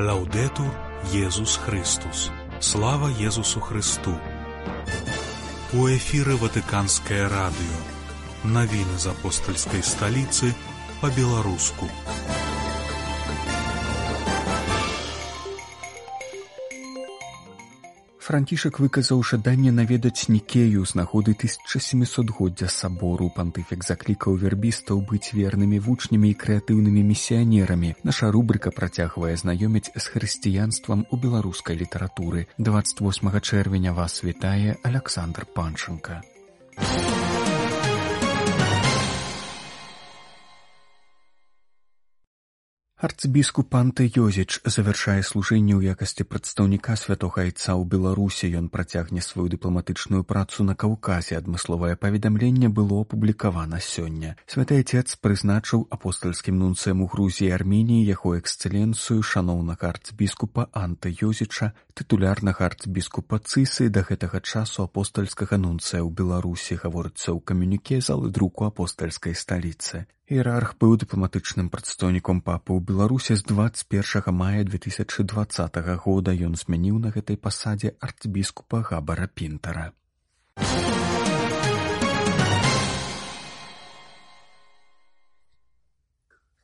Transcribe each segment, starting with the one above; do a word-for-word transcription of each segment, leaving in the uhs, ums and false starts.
Лаўдетур Езус Христус. Слава Езусу Христу. У эфіры Ватыканскае радыё. Навіны з апостальскай сталіцы па-беларуску. Францішак выказаў жаданне наведаць Нікею з нагоды тысяча сямісотгоддзя сабору. Пантыфік заклікаў вербістаў быць вернымі вучнямі і крэатыўнымі місіянерамі. Наша рубрыка працягвае знаёміць з хрысціянствам у беларускай літаратуры. дваццаць восьмага чэрвеня вас вітае Аляксандр Панченка. Арцыбіскуп Анте Йозіч завяршае служэнне ў якасці прадстаўніка святога айца ў Беларусі. Ён працягне сваю дыпламатычную працу на Каўказе. Адмысловае паведамленне было апублікавана сёння. Святы айцец прызначыў апостальскім нунцыем у Грузіі і Арменіі яго эксцэленцыю шаноўнага арцыбіскупа Анте Йозіча, тытулярнага арцыбіскупа Цысы, да гэтага часу апостальскага нунцыя ў Беларусі, гаворыцца ў камюніке залы друку апостальскай сталіцы. Іерарх быў дыпламатычным прадстаўніком папы ў Беларусі з дваццаць першага мая две тысячы дваццатага года. Ён змяніў на гэтай пасадзе арцыбіскупа Габара Пінтара.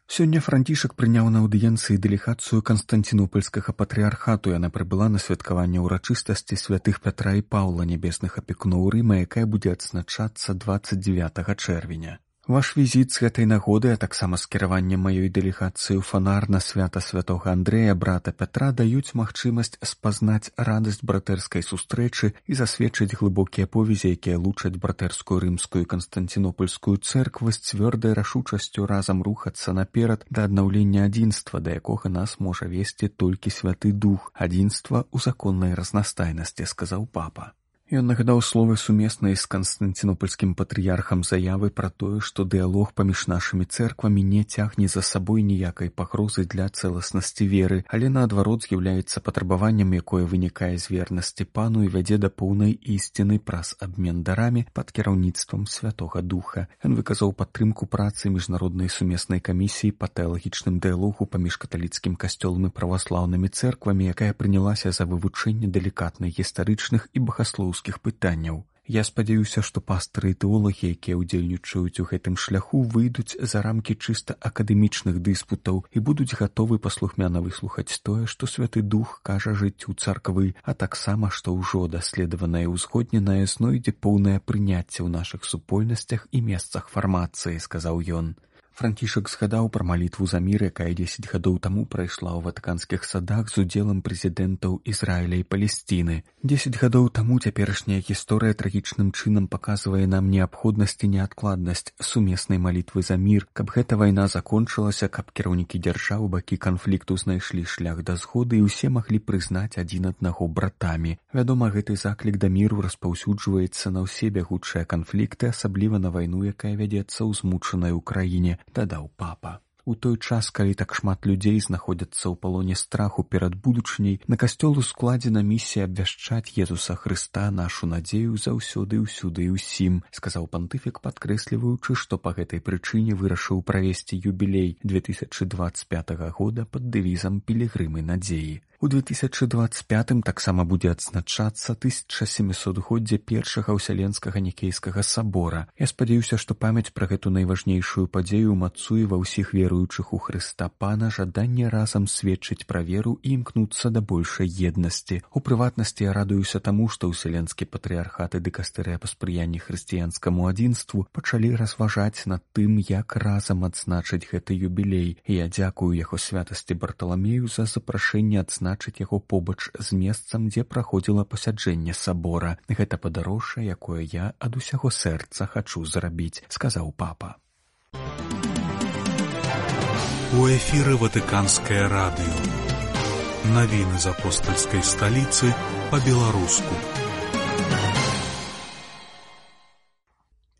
Сёння Францішак прыняў на аўдыенцыі дэлегацыю Канстанцінопальскага патрыархату. Яна прыбыла на святкаванне ўрачыстасці святых Пятра і Паўла, нябесных апекуноў Рыма, якая будзе адзначацца дваццаць дзевятага чэрвеня. Ваш візіт з гэтай нагоды, а таксама скіраванне маёй дэлегацыі ў фанар на свята святога Андрэя, брата Пятра, даюць магчымасць спазнаць радасць братэрскай сустрэчы і засведчыць глыбокія повязі, якія лучаць братэрскую рымскую і канстанцінопольскую цэрквы з цвёрдай рашучасцю разам рухацца наперад да аднаўлення адзінства, да якога нас можа весці толькі святы дух. Адзінства ў законнай разнастайнасці, сказаў папа. Ён нагадаў словы сумеснай з канстанцінопольскім патрыярхам заявы пра тое, што дыялог паміж нашымі цэрквамі не цягне за сабой ніякай пагрозы для цэласнасці веры, але наадварот з'яўляецца патрабаваннем, якое вынікае з вернасці пану і вядзе да поўнай ісціны праз абмен дарамі пад кіраўніцтвам Святога Духа. Ён выказаў падтрымку працы міжнароднай сумеснай камісіі па тэалагічным дыялогу паміж каталіцкім касцёлам і праваслаўнымі цэрквамі, якая прынялася за вывучэнне далікатных гістарычных і багаслоўскіх пытанняў. Я спадзяюся, што пастыры і тэолагі, якія ўдзельнічаюць у гэтым шляху, выйдуць за рамкі чыста акадэмічных дыспутаў і будуць гатовы паслухмяна выслухаць тое, што Святы Дух кажа жыццю царквы, а таксама, што ўжо даследаванае і ўзгодненае знойдзе поўнае прыняцце ў нашых супольнасцях і месцах фармацыі, сказаў ён. Францішак згадаў пра малітву за мір, якая дзесяць гадоў таму прайшла ў ватыканскіх садах з удзелам прэзідэнтаў Ізраіля і Палесціны. Дзесяць гадоў таму цяперашняя гісторыя трагічным чынам паказвае нам неабходнасць і неадкладнасць сумеснай малітвы за мір, каб гэта вайна закончылася, каб кіраўнікі дзяржаў бакі канфлікту знайшлі шлях да згоды і ўсе маглі прызнаць адзін аднаго братамі. Вядома, гэты заклік да міру распаўсюджваецца на ўсе бягучыя канфлікты, асабліва на вайну, якая вядзецца ў змучанай Украіне, дадаў папа. У той час, калі так шмат людзей знаходзяцца ў палоне страху перад будучыняй, на касцёл ускладзена місія абвяшчаць Езуса Хрыста, нашу надзею заўсёды, ўсюды і ўсім, сказаў пантыфік, падкрэсліваючы, што па гэтай прычыне вырашыў правесці юбілей две тысячы дваццаць пятага года пад дэвізам «Пілігрымы надзеі». У две тысячы дваццаць пятым таксама будзе адзначацца тысяча сямісотгоддзе першага ўсяленскага нікейскага сабора. Я спадзяюся, што памяць пра гэту найважнейшую падзею ўмацуе ва ўсіх веруючых у Хрыста Пана жаданне разам сведчыць пра веру і імкнуцца да большай еднасці. У прыватнасці я радуюся таму, што ўсяленскі патрыярхат і дыкастэрыя па спрыянні хрысціянскаму адзінству пачалі разважаць над тым, як разам адзначыць гэты юбілей. І я дзякую яго святасці Барталамею за запрашэнне адзначыць значыць яго побач з месцам, дзе праходзіла пасяджэнне сабора. Гэта падарожжа, якое я ад усяго сэрца хачу зрабіць, сказаў папа. У эфіры Ватыканскае радыё. Навіны з апостальскай сталіцы па-беларуску.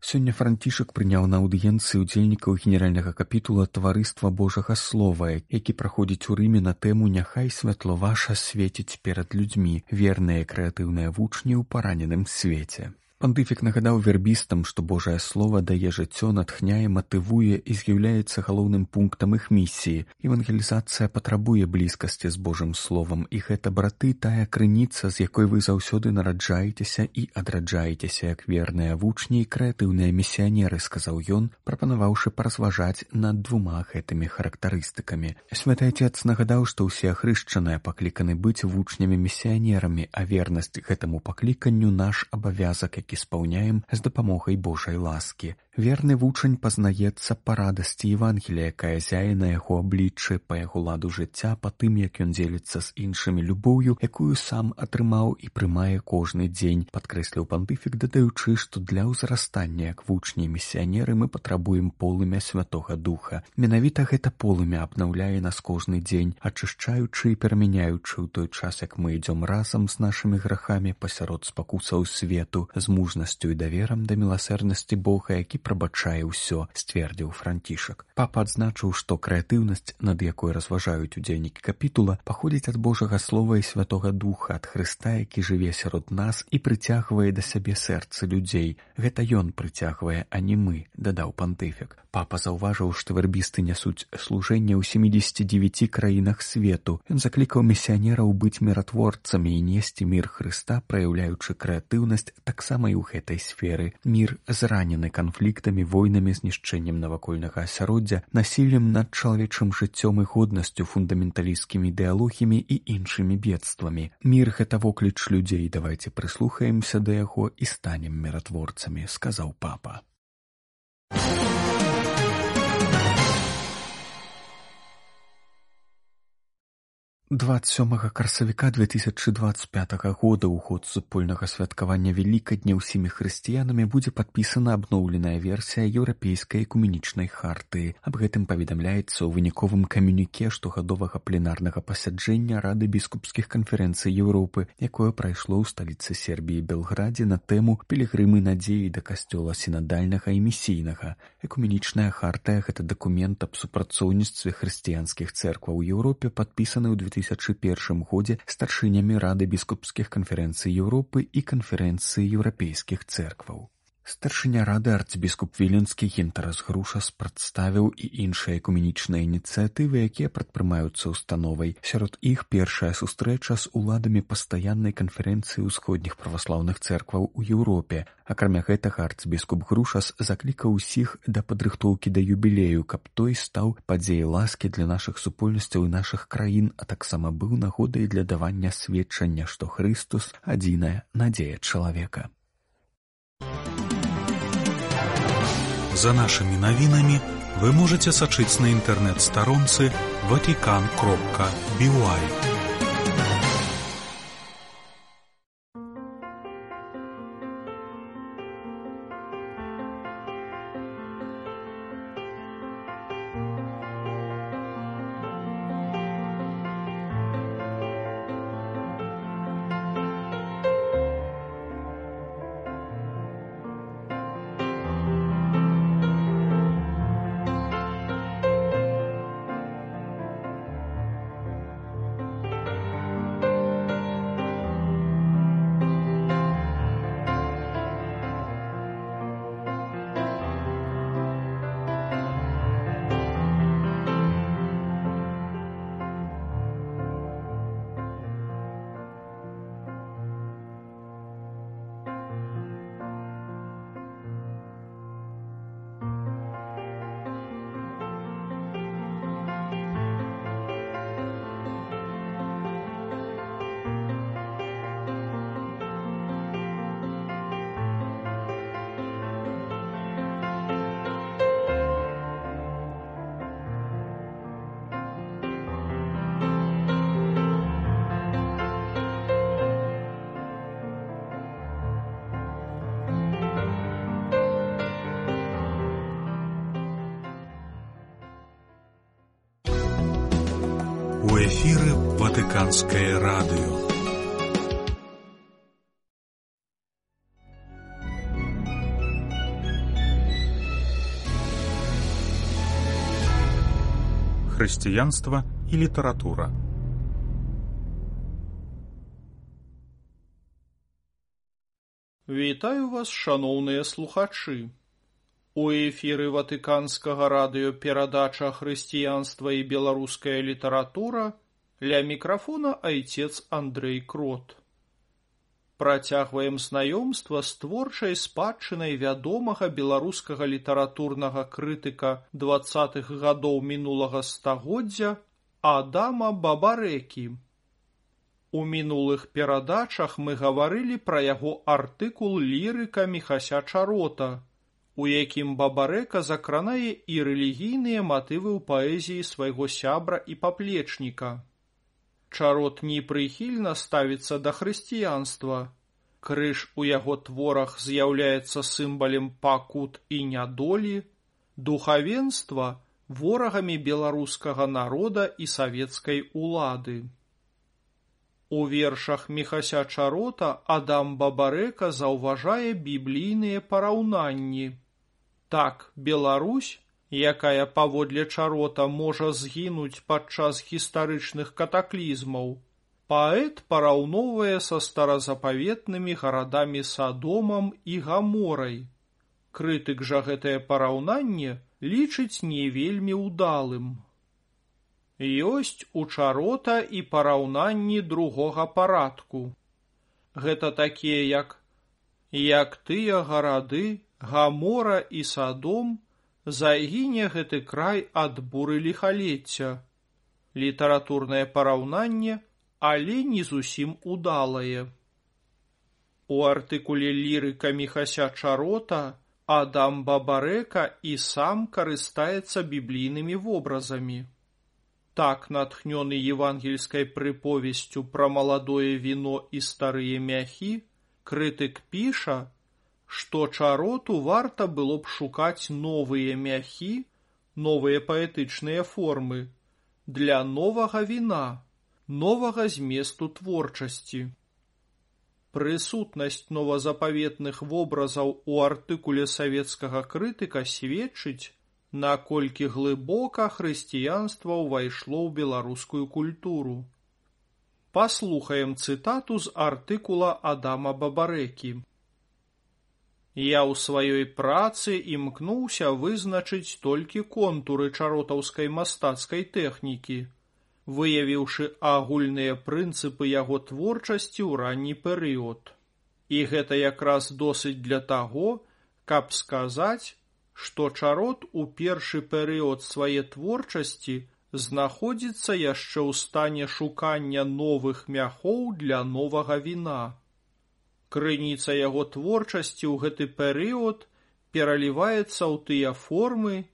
Сёння Францішак прыняў на аўдыенцыі ўдзельнікаў генеральнага капітула Таварыства Божага Слова, які праходзіць у Рыме на тэму «Няхай святло ваша свеціць перад людзьмі, верныя крэатыўныя вучні ў параненым свеце». Пантыфік нагадаў вербістам, што Божае Слова дае жыццё, натхняе, матывуе і з'яўляецца галоўным пунктам іх місіі. Евангелізацыя патрабуе блізкасці з Божым Словам, і гэта, браты, тая крыніца, з якой вы заўсёды нараджаецеся і адраджаецеся як верныя вучні і крэатыўныя місіянеры, сказаў ён, прапанаваўшы паразважаць над двума гэтымі характарыстыкамі. Святы Отец нагадаў, што ўсе ахрышчаныя пакліканы быць вучнямі-місіянерамі, а вернасць гэтаму пакліканню наш абавязак, які спаўняем з дапамогай Божай ласкі. Верны вучань пазнаецца па радасці Евангелія, якая зяе на яго абліччы, па яго ладу жыцця, па тым, як ён дзеліцца з іншымі любоўю, якую сам атрымаў і прымае кожны дзень, падкрэсліў пантыфік, дадаючы, што для ўзрастання як вучні і місіянеры мы патрабуем полымя Святога Духа. Менавіта гэта полымя абнаўляе нас кожны дзень, ачышчаючы і перамяняючы ў той час, як мы ідзём разам з нашымі грахамі пасярод спакусаў свету, з мужнасцю і даверам да міласэрнасці Бога, які прабачае ўсё, сцвердзіў Францішак. Папа адзначыў, што крэатыўнасць, над якой разважаюць удзельнікі капітула, паходзіць ад Божага Слова і Святога Духа, ад Хрыста, які жыве сярод нас і прыцягвае да сябе сэрцы людзей. Гэта ён прыцягвае, а не мы, дадаў пантыфік. Папа заўважыў, што вербісты нясуць служэнне ў сямідзесяці дзевяці краінах свету. Ён заклікаў місіянераў быць міратворцамі і несці мір Хрыста, праяўляючы крэатыўнасць таксама і ў гэтай сферы. Мір зранены канфліктамі, войнамі, знішчэннем навакольнага асяроддзя, насіллем над чалавечым жыццём і годнасцю, фундаменталісцкімі ідэалогіямі і іншымі бедствамі. Мір — гэта вокліч людзей, давайце прыслухаемся да яго і станем міратворцамі, сказаў папа. дваццаць сёмага красавіка две тысячы дваццаць пятага года ў год супольнага святкавання Вялікадня ўсімі хрысціянамі будзе падпісана абноўленая версія еўрапейскай экуменічнай хартыі. Аб гэтым паведамляецца ў выніковым камюніке штогадовага пленарнага пасяджэння Рады біскупскіх канферэнцый Еўропы, якое прайшло ў сталіцы Сербіі Белградзе на тэму «Пілігрымы надзеі да касцёла сінадальнага і місійнага». Экуменічная хартыя — гэта дакумент аб супрацоўніцтве хрысціянскіх цэркваў у Еўропе, падпісаны ў две тысячы першым годзе старшынямі Рады біскупскіх канферэнцый Еўропы і канферэнцыі еўрапейскіх цэркваў. Старшыня рады арцыбіскуп Віленскі Гінтарас Грушас прадставіў і іншыя экуменічныя ініцыятывы, якія прадпрымаюцца установай. Сярод іх першая сустрэча з уладамі пастаяннай канферэнцыі ўсходніх праваслаўных цэркваў у Еўропе. Акрамя гэтага арцыбіскуп Грушас заклікаў усіх да падрыхтоўкі да юбілею, каб той стаў падзеяй ласкі для нашых супольнасцяў і нашых краін, а таксама быў нагодай для давання сведчання, што Хрыстус — адзіная надзея чалавека. За нашими новинами вы можете сачыць на интернет-старонцы ватикан кропка би уай. У эфіры Ватыканскае радыё. Хрысціянства і літаратура. Вітаю вас, шаноўныя слухачы. У эфіры Ватыканскага радыё перадача «Хрысціянства і беларуская літаратура», ля мікрафона айцец Андрэй Крот. Працягваем знаёмства з творчай спадчынай вядомага беларускага літаратурнага крытыка дваццатых гадоў мінулага стагоддзя Адама Бабарэкі. У мінулых перадачах мы гаварылі пра яго артыкул «Лірыка Міхася Чарота», у якім Бабарэка закранае і рэлігійныя матывы ў паэзіі свайго сябра і паплечніка. Чарот непрыхільна ставіцца да хрысціянства. Крыж у яго творах з'яўляецца сімвалем пакут і нядолі, духавенства ворагамі беларускага народа і савецкай улады. У вершах Міхася Чарота Адам Бабарэка заўважае біблійныя параўнанні. Так, Беларусь, якая паводле Чарота можа згінуць падчас гістарычных катаклізмаў, паэт параўноўвае са старазапаветнымі гарадамі Садомам і Гаморай. Крытык жа гэтае параўнанне лічыць не вельмі ўдалым. Ёсць у Чарота і параўнанні другога парадку. Гэта такія, як «Як тыя гарады, Гамора і Садом, загіне гэты край ад буры ліхалецця». Літаратурнае параўнанне, але не зусім удалае. У артыкуле «Лірыка Міхася Чарота» Адам Бабарэка і сам карыстаецца біблійнымі вобразамі. Так, натхнёны евангельскай прыповесцю пра маладое віно і старыя мяхі, крытык піша, што Чароту варта было б шукаць новыя мяхі, новыя паэтычныя формы, для новага віна, новага зместу творчасці. Прысутнасць новазапаветных вобразаў у артыкуле савецкага крытыка сведчыць, наколькі глыбока хрысціянства ўвайшло ў беларускую культуру. Паслухаем цытату з артыкула Адама Бабарэкі. «Я ў сваёй працы імкнуўся вызначыць толькі контуры чаротаўскай мастацкай тэхнікі, выявіўшы агульныя прынцыпы яго творчасці ў ранні перыяд. І гэта якраз досыць для таго, каб сказаць, што Чарот у першы перыяд свае творчасці знаходзіцца яшчэ ў стане шукання новых мяхоў для новага віна. Крыніца яго творчасці ў гэты перыяд пераліваецца ў тыя формы,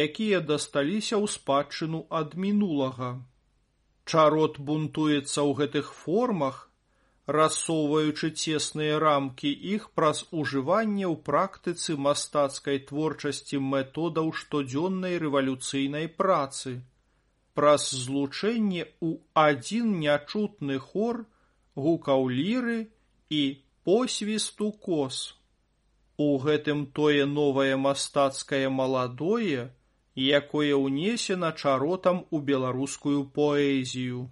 якія дасталіся ў спадчыну ад минулага. Чарот бунтуецца ў гэтых формах, рассоўваючы цесныя рамкі іх праз ужыванне ў практыцы мастацкай творчасці методаў штодзённай рэвалюцыйнай працы, праз злучэнне ў адзін нячутны хор гукаў ліры і посвісту кос. У гэтым тое новае мастацкае маладое, якое ўнесена Чаротам у беларускую паэзію.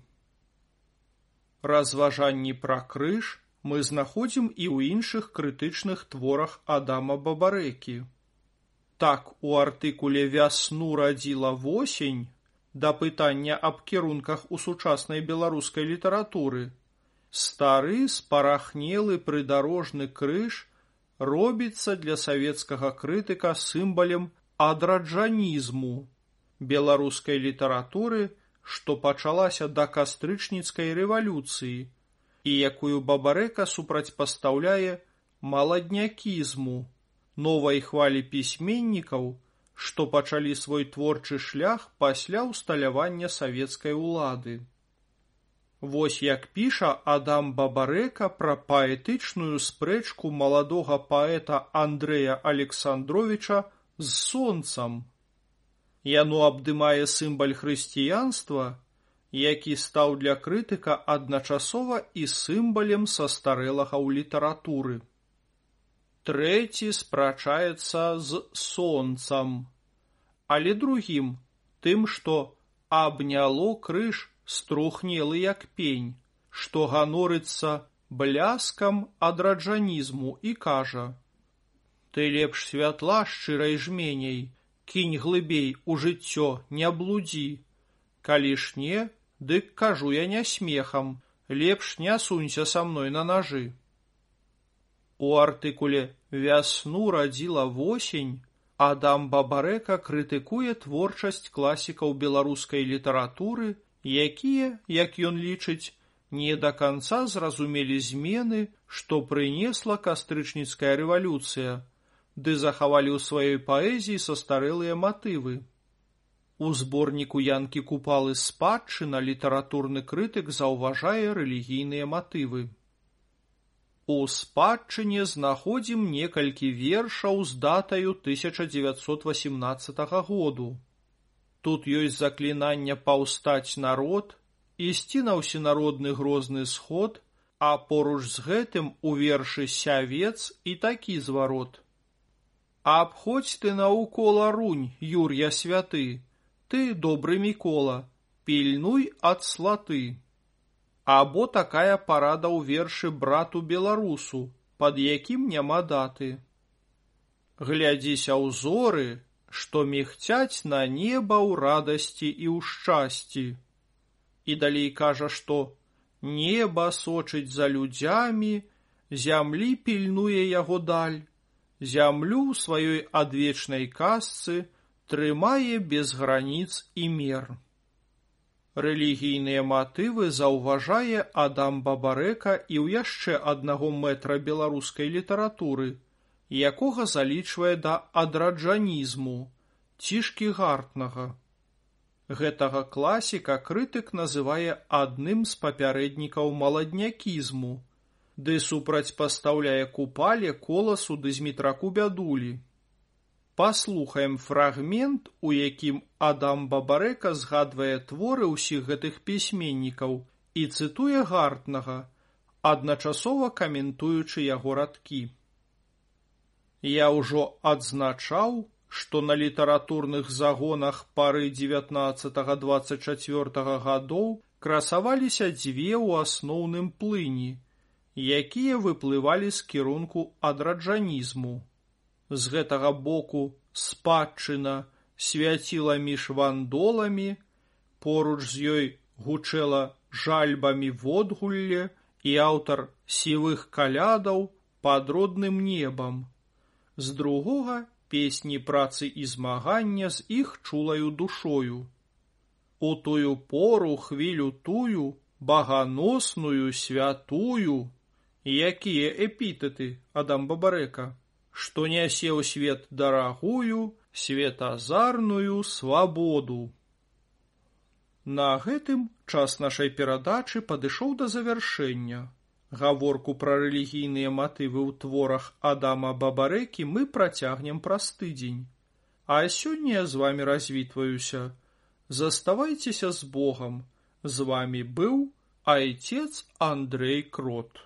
Разважанні пра крыж мы знаходзім і ў іншых крытычных творах Адама Бабарэкі. Так, у артыкуле «Вясну радзіла восень» да пытання аб кірунках у сучаснай беларускай літаратуры, стары спарахнелы прыдарожны крыж робіцца для савецкага крытыка сімвалем адраджанізму беларускай літаратуры, што пачалася да кастрычніцкай рэвалюцыі і якую Бабарэка супрацьпастаўляе маладнякізму, новай хвалі пісьменнікаў, што пачалі свой творчы шлях пасля ўсталявання савецкай улады. Вось як піша Адам Бабарэка пра паэтычную спрэчку маладога паэта Андрэя Александровіча з сонцам. Яно абдымае сімваль хрысціянства, які стаў для крытыка адначасова і сімвалем састарэлага ў літаратуры. Трэці спрачаецца з сонцам, але другім, тым, што абняло крыж струхнелы як пень, што ганорыцца бляскам адраджанізму і кажа: «Ты лепш святла шчырай жменяй, кінь глыбей у жыццё, не блудзі. Калі ж не, дык кажу я не смехам, лепш не сунься са мной на нажы». У артыкуле «Вясну радзіла восень» Адам Бабарэка крытыкуе творчасць класікаў беларускай літаратуры, якія, як ён лічыць, не да канца зразумелі змены, што прынесла кастрычніцкая рэвалюцыя, ды захавалі ў сваёй паэзіі састарэлыя матывы. У зборніку Янкі Купалы «Спадчына» літаратурны крытык заўважае рэлігійныя матывы. У «Спадчыне» знаходзім некалькі вершаў з датаю тысяча дзевяцьсот васемнаццатага году. Тут ёсць заклінанне паўстаць народ, ісці на ўсенародны грозны сход, а поруч з гэтым у вершы «Сявец» і такі зварот: «Абходзь ты наўкола рунь, Юр'я святы, ты, добры Мікола, пільнуй ад слаты». Або такая парада ў вершы брату беларусу, пад якім няма даты: «Глядзіся ў зоры, што мігцяць на неба ў радасці і ў шчасці». І далей кажа, што неба сочыць за людзямі, зямлі пільнуе яго даль, зямлю ў сваёй адвечнай казцы трымае без граніц і мер. Рэлігійныя матывы заўважае Адам Бабарэка і ў яшчэ аднаго мэтра беларускай літаратуры, якога залічвае да адраджанізму, Цішкі Гартнага. Гэтага класіка крытык называе адным з папярэднікаў маладнякізму, ды супрацьпастаўляе Купале, Коласу ды Змітраку Бядулі. Паслухаем фрагмент, у якім Адам Бабарэка згадвае творы ўсіх гэтых пісьменнікаў і цытуе Гартнага, адначасова каментуючы яго радкі. «Я ўжо адзначаў, што на літаратурных загонах пары дзевятнаццатага-дваццаць чацвёртага гадоў красаваліся дзве ў асноўным плыні, якія выплывалі з кірунку адраджанізму. З гэтага боку спадчына свяціла між вандоламі, поруч з ёй гучэла жальбамі водгулле і аўтар сівых калядаў пад родным небам. З другога песні працы і змагання з іх чулаю душою. У тую пору хвілю тую, баганосную, святую». Якія эпітэты, Адам Бабарэка? Што нясе ў свет дарагую, светазарную свабоду. На гэтым час нашай перадачы падышоў да завяршэння. Гаворку пра рэлігійныя матывы ў творах Адама Бабарэкі мы працягнем праз тыдзень. А сёння я з вамі развітваюся. Заставайцеся з Богам. З вамі быў айцец Андрэй Крот.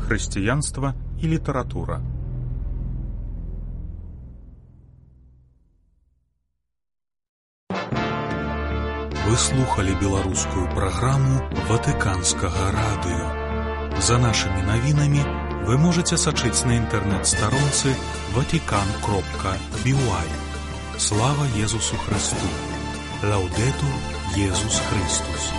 Хрысціянства і літаратура. Вы слухали беларускую праграму Ватыканскага радыё. За нашымі навінамі вы можаце сачыць на інтэрнэт-старонцы ватикан кропка би уай. Слава Езусу Христу! Лаўдэтур Езус Христус!